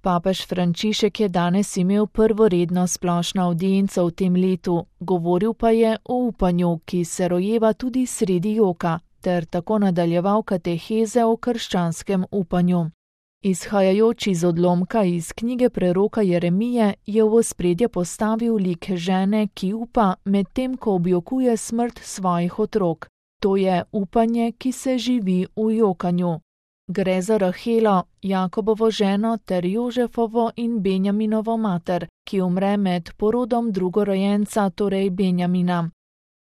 Papež Frančišek je danes imel prvo redno splošno avdienco v tem letu, govoril pa je o upanju, ki se rojeva tudi sredi joka, ter tako nadaljeval kateheze o krščanskem upanju. Izhajajoč iz odlomka iz knjige preroka Jeremije je v ospredje postavil lik žene, ki upa, medtem ko objokuje smrt svojih otrok. To je upanje, ki se živi v jokanju. Gre za Rahelo, Jakobovo ženo ter Jožefovo in Benjaminovo mater, ki umre med porodom drugorojenca, torej Benjamina.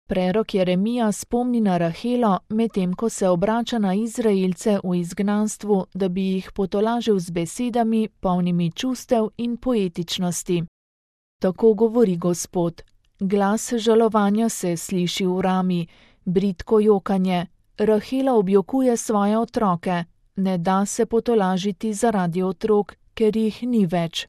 Prerok Jeremija spomni na Rahelo, medtem ko se obrača na Izraelce v izgnanstvu, da bi jih potolažil z besedami, polnimi čustev in poetičnosti. Tako govori Gospod: glas žalovanja se sliši v rami, bridko jokanje, Rahela objokuje svoje otroke, ne da se potolažiti zaradi otrok, ker jih ni več.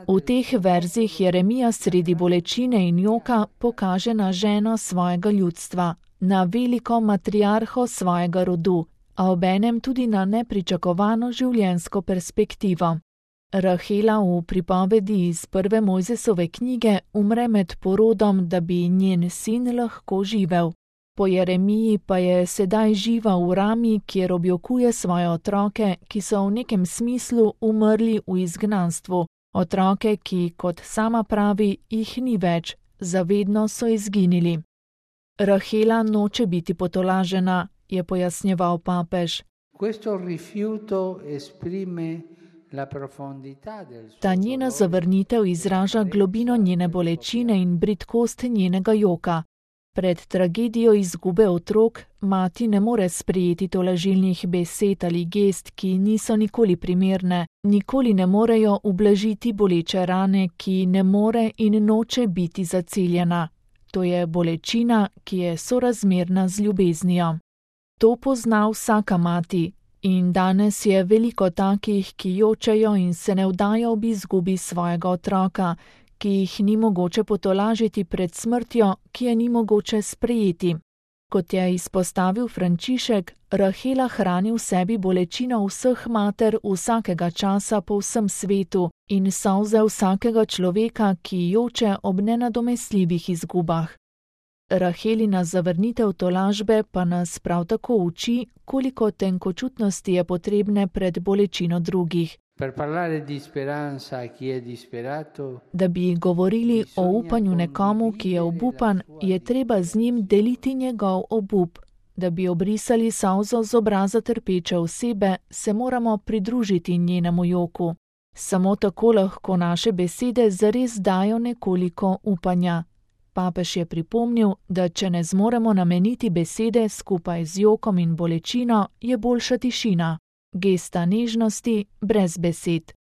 V teh verzih Jeremija sredi bolečine in joka pokaže na ženo svojega ljudstva, na veliko matriarho svojega rodu, a obenem tudi na nepričakovano življenjsko perspektivo. Rahela v pripovedi iz prve Mojzesove knjige umre med porodom, da bi njen sin lahko živel. Po Jeremiji pa je sedaj živa v rami, kjer objokuje svoje otroke, ki so v nekem smislu umrli v izgnanstvu. Otroke, ki, kot sama pravi, jih ni več, zavedno so izginili. Rahela noče biti potolažena, je pojasnjeval papež. Ta njena zavrnitev izraža globino njene bolečine in bridkost njenega joka. Pred tragedijo izgube otrok mati ne more sprejeti tolažilnih besed ali gest, ki niso nikoli primerne, nikoli ne morejo ublažiti boleče rane, ki ne more in noče biti zaceljena. To je bolečina, ki je sorazmerna z ljubeznijo. To pozna vsaka mati in danes je veliko takih, ki jočejo in se ne vdajo ob izgubi svojega otroka, ki jih ni mogoče potolažiti pred smrtjo, ki je ni mogoče sprejeti. Kot je izpostavil Frančišek, Rahela hrani v sebi bolečino vseh mater vsakega časa po vsem svetu in solze vsakega človeka, ki joče ob nenadomestljivih izgubah. Rahelina zavrnitev tolažbe pa nas prav tako uči, koliko tenkočutnosti je potrebne pred bolečino drugih. Da bi govorili o upanju nekomu, ki je obupan, je treba z njim deliti njegov obup. Da bi obrisali solzo z obraza trpeče osebe, se moramo pridružiti njenemu joku. Samo tako lahko naše besede zares dajo nekoliko upanja. Papež je pripomnil, da če ne zmoremo nameniti besede skupaj z jokom in bolečino, je boljša tišina. Gesta nežnosti brez besed.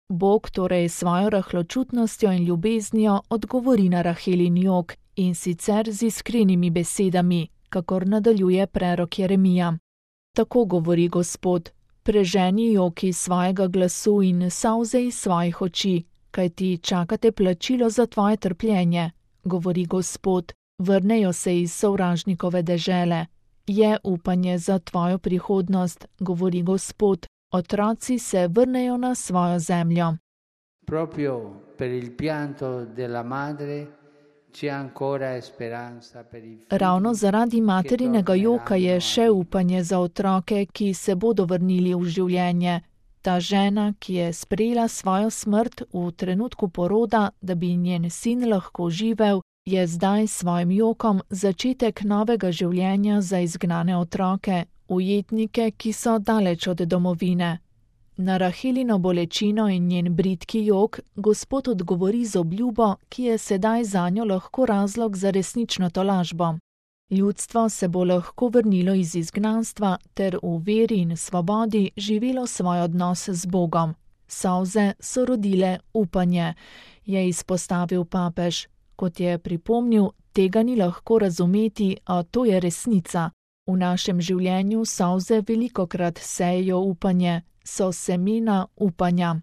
Bog torej svojo rahločutnostjo in ljubeznijo odgovori na Rahelin jok in sicer z iskrenimi besedami, kakor nadaljuje prerok Jeremija. Tako govori Gospod: preženi jok iz svojega glasu in solze iz svojih oči, kajti čakate plačilo za tvoje trpljenje, govori Gospod, vrnejo se iz sovražnikove dežele. Je upanje za tvojo prihodnost, govori Gospod, otroci se vrnejo na svojo zemljo. Ravno zaradi materinega joka je še upanje za otroke, ki se bodo vrnili v življenje. Ta žena, ki je sprejela svojo smrt v trenutku poroda, da bi njen sin lahko živel, je zdaj svojim jokom začetek novega življenja za izgnane otroke, ujetnike, ki so daleč od domovine. Na Rahelino bolečino in njen bridki jok Gospod odgovori z obljubo, ki je sedaj zanjo lahko razlog za resnično tolažbo. Ljudstvo se bo lahko vrnilo iz izgnanstva ter v veri in svobodi živelo svoj odnos z Bogom. Solze so rodile upanje, je izpostavil papež. Kot je pripomnil, tega ni lahko razumeti, a to je resnica. V našem življenju solze velikokrat sejejo upanje, so semena upanja.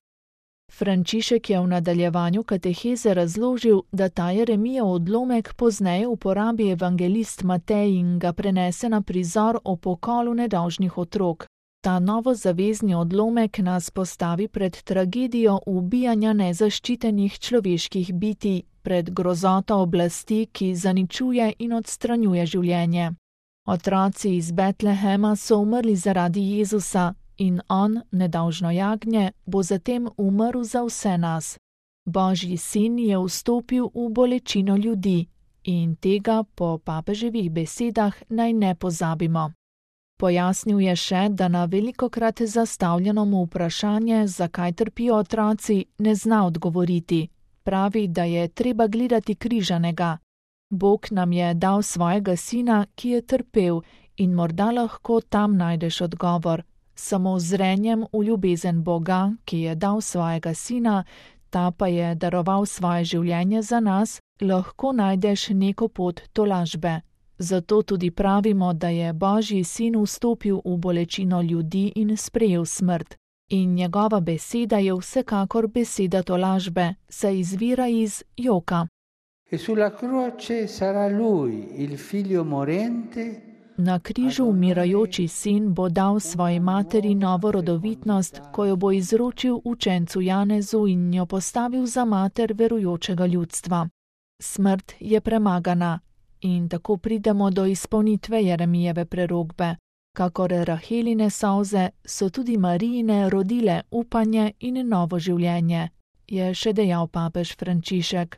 Frančišek je v nadaljevanju kateheze razložil, da ta Jeremijev odlomek pozneje uporabi evangelist Matej in ga prenese na prizor o pokolu nedolžnih otrok. Ta novozavezni odlomek nas postavi pred tragedijo ubijanja nezaščitenih človeških bitij, pred grozoto oblasti, ki zaničuje in odstranjuje življenje. Otroci iz Betlehema so umrli zaradi Jezusa in on, nedolžno jagnje, bo zatem umrl za vse nas. Božji sin je vstopil v bolečino ljudi in tega po papeževih besedah naj ne pozabimo. Pojasnil je še, da na velikokrat zastavljeno mu vprašanje, zakaj trpijo otroci, ne zna odgovoriti. Pravi, da je treba gledati križanega. Bog nam je dal svojega sina, ki je trpel, in morda lahko tam najdeš odgovor. Samo z zrenjem v ljubezen Boga, ki je dal svojega sina, ta pa je daroval svoje življenje za nas, lahko najdeš neko pot tolažbe. Zato tudi pravimo, da je Božji sin vstopil v bolečino ljudi in sprejel smrt. In njegova beseda je vsekakor beseda tolažbe, saj izvira iz joka. Na križu umirajoči sin bo dal svoji materi novo rodovitnost, ko jo bo izročil učencu Janezu in jo postavil za mater verujočega ljudstva. Smrt je premagana in tako pridemo do izpolnitve Jeremijeve prerokbe. Kakor Raheline solze so tudi Marijine rodile upanje in novo življenje, je še dejal papež Frančišek.